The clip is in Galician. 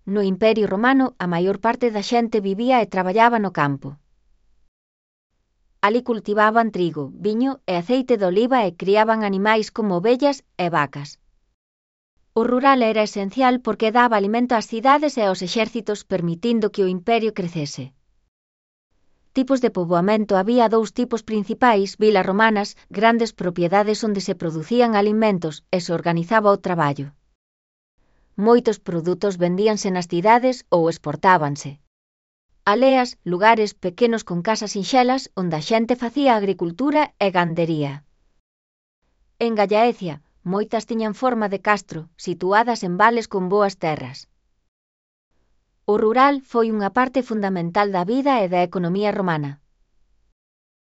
No Imperio Romano, a maior parte da xente vivía e traballaba no campo. Alí cultivaban trigo, viño e aceite de oliva e criaban animais como ovellas e vacas. O rural era esencial porque daba alimento ás cidades e aos exércitos, permitindo que o imperio crecese. Tipos de poboamento: había dous tipos principais: vilas romanas, grandes propiedades onde se producían alimentos e se organizaba o traballo. Moitos produtos vendíanse nas cidades ou exportábanse. Aldeas, lugares pequenos con casas sinxelas onde a xente facía agricultura e gandería. En Gallaecia, moitas tiñan forma de castro, situadas en vales con boas terras. O rural foi unha parte fundamental da vida e da economía romana.